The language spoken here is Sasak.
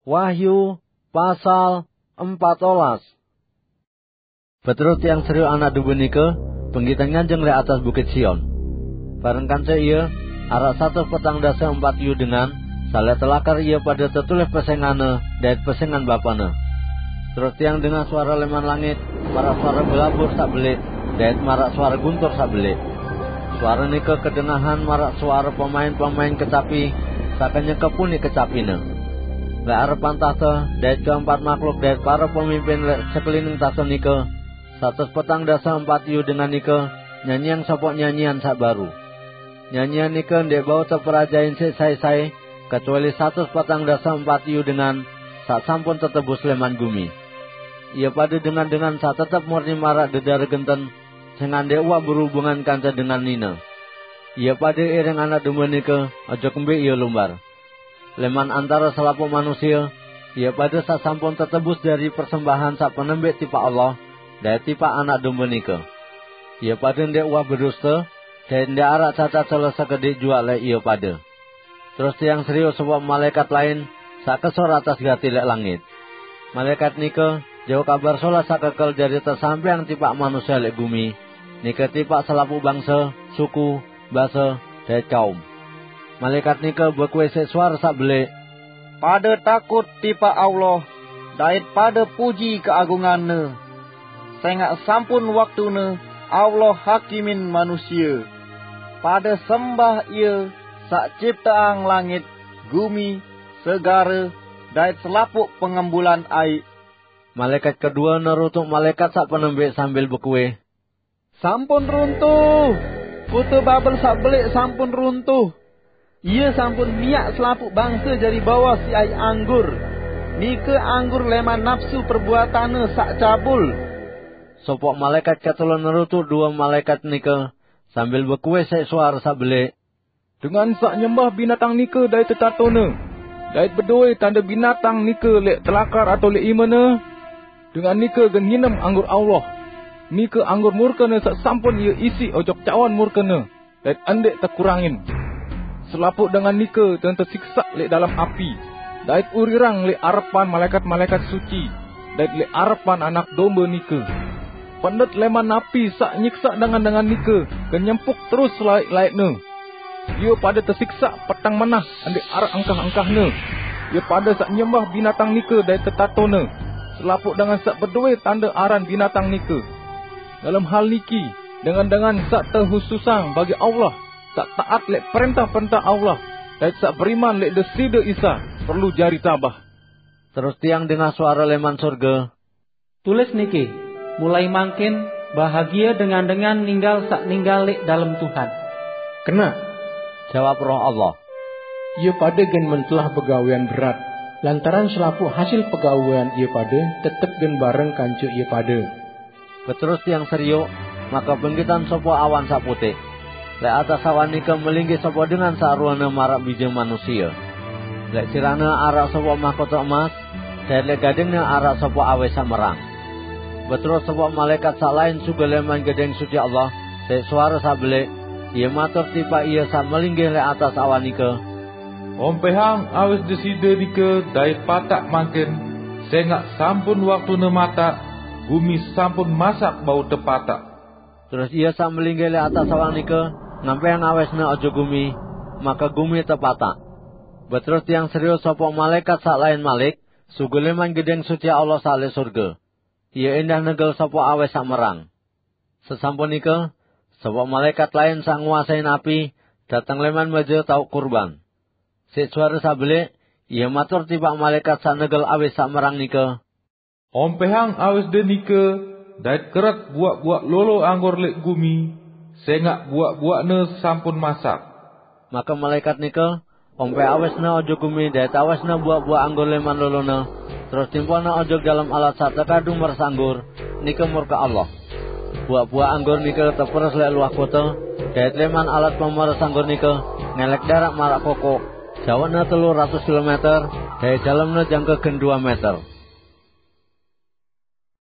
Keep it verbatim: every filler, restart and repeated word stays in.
Wahyu pasal empat belas. Beterus tiang seriuk anak dombe nike, penggitan nganjeng lek atas bukit Sion. Bareng kance ia, arak satus petang dasa empat yu dengan, salek telakar ia pada tetulih pesengane dait pesengan bapane. Terus tiang dengah suara leman langit, marak suara belabur sak belik, dait marak suara guntur sak belik. Suara nike kedengahan marak suara pemain-pemain kecapi, saka nyekepuni kecapine. Lek arepan tahta, dait keempat makhluk dait para pemimpin lek sekelining tahta nike, satus petang dasa empat yu dengan nike, nyanyiang sopok nyanyian sak baru. Nyanyian nike ndeq bau teperajain siq sai-sai, kecuali satus petang dasa empat yu dengan, sak sampun tetebus leman gumi. Ia pada dengan-dengan sak tetep murni marak dedare genten, sengaq ndeq uwah berubungan kance dengan nine. Ia pada iring anak dombe nike, ojok mbe ia lumbar. Leman antara selapuq manusie, ia pada sak sampun tetebus dari persembahan sak penembiq tipaq Allah, dait tipaq anak dombe nike. Ia pada ndeq uwah beduste, dait ndeq arak cacat sele sekediq juaq lek ia pada. Terus tiang seriuk sopok malaikat lain, sak kesor atas gati lek langit. Malaikat nike, jauh kabar solah sak kekel jari tesampeang tipaq manusie lek gumi, nike tipaq selapuq bangse, suku, base, dait kaum. Malaikat nike bekue siq suara sak belik, "Pada takut tipaq Allah, dait pada puji keagungan-Ne. Sengaq sampun waktune Allah hakimin manusie. Pada sembah Ie saq cipteang langit, gumi, segare, dait selapuq pengembulan aiq." Malaikat kedue nerutuk malaikat saq penembiq sambil bekue, "Sampun runtuh! Kute Babel saq belik sampun runtuh. Ie sampun miaq selapuq bangse jari bawos siq aiq anggur. Nike anggur leman napsu perbuatanne saq cabul." Sopok malaikat ketelu nerutuk due malaikat nike sambil bekue siq suara saq belik, "Dengan saq nyembah binatang nike dait tetatone, dait bedoe tande binatang nike lek telakar atau lek imene, dengan nike gen nginem anggur Allah. Nike anggur murkene saq sampun ie isiq ojok cawan murkene, dait ndeq tekurangin. Selapuq dengan nike ten tesiksaq lek dalem api, dait urirang lek arepan malaikat-malaikat suci, dait lek arepan Anak Dombe nike. Pendet leman napi saq nyiksaq dengan-dengan nike gen nyempuk terus selaeq-laeqne. Ie pade tesiksaq peteng menah ndeq araq engkah-engkahne. Ie pade saq nyembah binatang nike dait tetatone, selapuq dengan saq bedoe tande aran binatang nike. Dalem hal niki, dengan-dengan saq tehususang bagi Allah, saq taat lek prentah-prentah Allah, dait saq beriman lek Deside Isa, perlu jari tabah." Terus tiang dengah suara leman sorge, "Tulis niki, 'Mulai mangkin, bahagie dengan-dengan ninggal saq ninggal leq dalem Tuhan.'" "Kenaq," jawab Roh Allah, "ie pade gen mentelah begawean berat, lantaran selapuq hasil pegawean ie pade tetep gen bareng kance ie pade." Beterus tiang serioq, make penggitan sopoq awan saq puteq. Leq atas awan nike melinggih sopoq dengan saq ruene maraq bije manusie. Leq sirahne araq sopoq mahkota emas, dait leq gadingne araq sopoq awis saq merang. Beterus sopoq malaekat saq lain sugul leman Gedeng Suci Allah, siq suare saq beleq, ie matur tipaq ie saq melinggih leq atas awan nike, "Ompehang awis Deside nike dait pataq mangkin, sengaq sampun waktune mataq, gumi sampun masak bau tepataq." Terus ie saq melinggih leq atas awan nike ngampehang awisne ojok gumi, make gumi tepataq. Beterus tiang serioq sopoq malaekat saq lain malik, sugul leman Gedeng Suci Allah saq leq sorge. Ie endah negel sopoq awis saq merang. Sesampun nike, sopoq malaekat lain saq nguasein api dateng leman meje taoq kurban. Siq suare saq beleq, ie matur tipaq malaekat saq negel awis saq merang nike, "Ompehang awisde nike, dait keret buaq-buaq lolo anggur leq gumi, sengaq buaq-buaqne sampun masak." Make malaekat nike ompeh awisne ojok gumi dait awisne buaq-buaq anggur leman lolone, terus timpone ojok dalem alat saq tekadu meres anggur, nike murke Allah. Buaq-buaq anggur nike teperes leq luah kote, dait leman alat pemeres anggur nike ngelek daraq maraq kokoq, jaoqne telu ratus kilometer, dait dalemne jangke gen due meter.